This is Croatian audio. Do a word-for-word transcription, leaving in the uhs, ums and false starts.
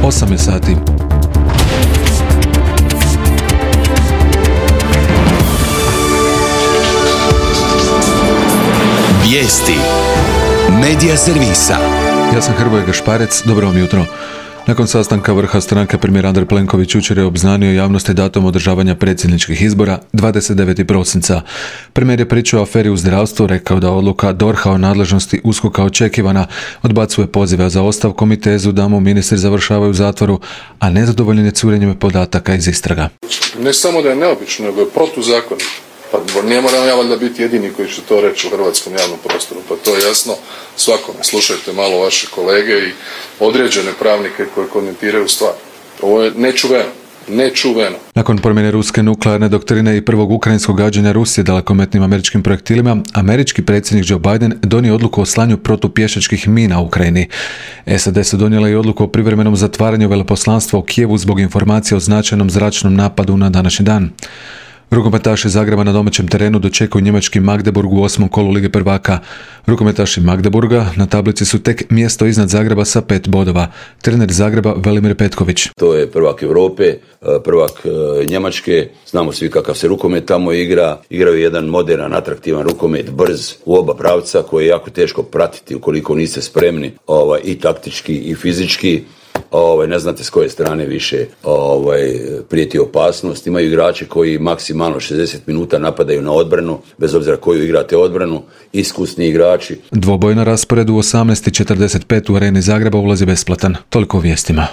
osam je sati. Vijesti Medija servisa. Ja sam Hrvoje Gašparec, dobro vam jutro. Nakon sastanka vrha stranke premijer Andrej Plenković jučer je obznanio javnosti datum održavanja predsjedničkih izbora dvadeset devetog prosinca. Premijer je pričao o aferi u zdravstvu, rekao da odluka D O R H-a o nadležnosti U S K O K-a očekivana, odbacuje pozive za ostavkom i tezu da mu ministri završavaju u zatvoru, a nezadovoljen je curenjem podataka iz istraga. Ne samo da je neobično, nego je protuzakonito. Pa ne moram ja valjda biti jedini koji će to reći u hrvatskom javnom prostoru, pa to je jasno svakome. Slušajte malo vaše kolege i određene pravnike koji komentiraju stvar. Ovo je nečuveno. Nečuveno. Nakon promjene ruske nuklearne doktrine i prvog ukrajinskog gađanja Rusije dalekometnim američkim projektilima, američki predsjednik Joe Biden donio odluku o slanju protupješačkih mina u Ukrajini. S A D su donijela i odluku o privremenom zatvaranju veleposlanstva u Kijevu zbog informacija o značajnom zračnom napadu na današnji dan. Rukometaši Zagreba na domaćem terenu dočekuju njemački Magdeburg u osmom kolu Lige prvaka. Rukometaši Magdeburga na tablici su tek mjesto iznad Zagreba sa pet bodova. Trener Zagreba Velimir Petković. To je prvak Europe, prvak Njemačke. Znamo svi kakav se rukomet tamo igra. Igraju jedan moderan, atraktivan rukomet, brz u oba pravca, koji je jako teško pratiti ukoliko niste spremni ovaj, i taktički i fizički. Ovaj, ne znate s koje strane više ovaj, prijeti opasnost. Imaju igrače koji maksimalno šezdeset minuta napadaju na odbranu, bez obzira koju igrate odbranu, iskusni igrači. Dvoboj na rasporedu u osamnaest i četrdeset pet u areni Zagreba ulazi besplatan. Toliko o vijestima.